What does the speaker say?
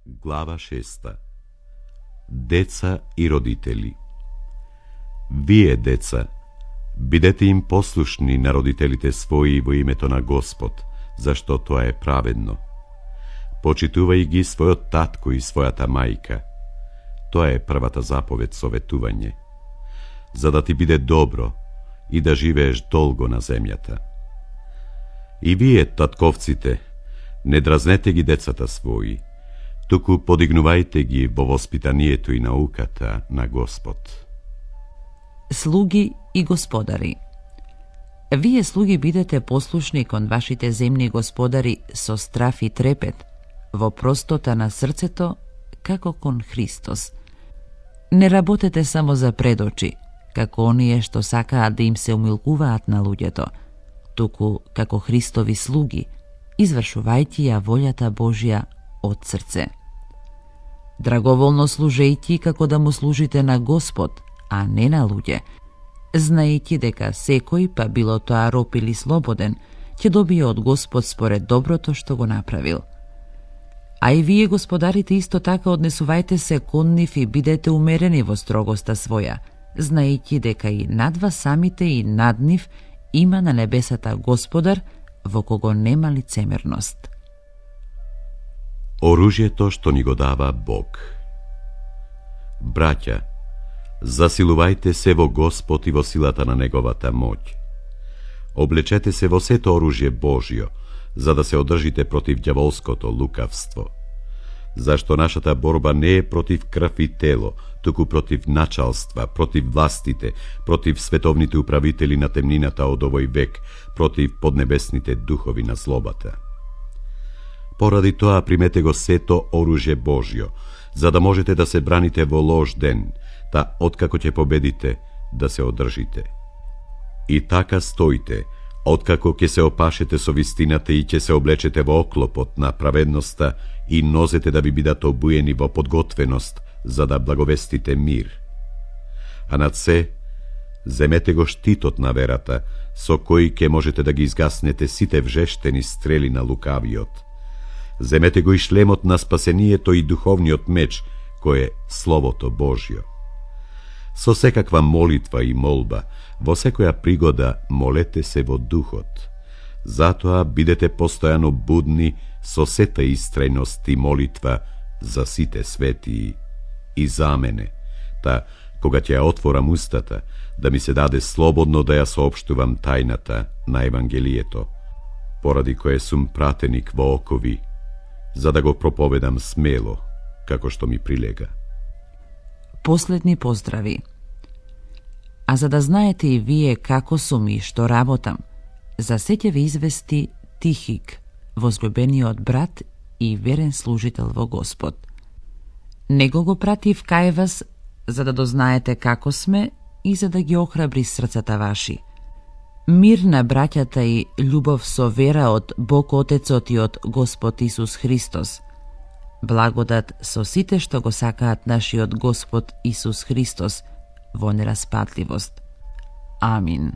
Глава 6. Деца и родители. Вие, деца, бидете им послушни на родителите своји во името на Господ, зашто тоа е праведно. Почитувај ги својот татко и својата мајка. Тоа е првата заповед советување, за да ти биде добро и да живееш долго на земјата. И вие, татковците, не дразнете ги децата своји, туку подигнувајте ги во воспитанието и науката на Господ. Слуги и господари. Вие, слуги, бидете послушни кон вашите земни господари со страф и трепет, во простота на срцето, како кон Христос. Не работете само за предочи, како оние што сакаат да им се умилкуваат на луѓето, туку како Христови слуги, извршувајќи ја волјата Божја од срце. Драговолно служејќи како да му служите на Господ, а не на луѓе, знаејќи дека секој, па било тоа роб или слободен, ќе добие од Господ според доброто што го направил. А и вие, господарите, исто така однесувајте се кон нив и бидете умерени во строгоста своја, знаејќи дека и над вас самите и над нив има на небесата Господар, во кого нема лицемерност. Оружјето што ни го дава Бог. Браќа, засилувајте се во Господ и во силата на Неговата моќ. Облечете се во сето оружје Божјо, за да се одржите против ѓаволското лукавство. Зашто нашата борба не е против крв и тело, туку против началства, против властите, против световните управители на темнината од овој век, против поднебесните духови на злобата. Поради тоа примете го сето оружје Божјо, за да можете да се браните во лош ден, та откако ќе победите, да се одржите. И така стоите, откако ќе се опашете со вистината и ќе се облечете во оклопот на праведноста и нозете да ви бидат обуени во подготвеност, за да благовестите мир. А над се, земете го штитот на верата, со кој ќе можете да ги изгаснете сите вжештени стрели на лукавиот. Земете го и шлемот на спасението и духовниот меч, кој е Словото Божјо. Со секаква молитва и молба, во секоја пригода молете се во духот. Затоа бидете постојано будни со сета истрајност и молитва за сите светии и за мене, та кога ќе ја отворам устата, да ми се даде слободно да ја соопштувам тајната на Евангелието, поради кое сум пратеник во окови, за да го проповедам смело, како што ми прилега. Последни поздрави. А за да знаете и вие како сум и што работам, за се ќе ве извести Тихик, возлюбениот брат и верен служител во Господ. Него го пратив кај вас, за да дознаете како сме и за да ги охрабри срцата ваши. Мир на браќата и љубов со вера од Бог Отецот и од Господ Исус Христос. Благодат со сите што го сакаат нашиот Господ Исус Христос во нераспатливост. Амин.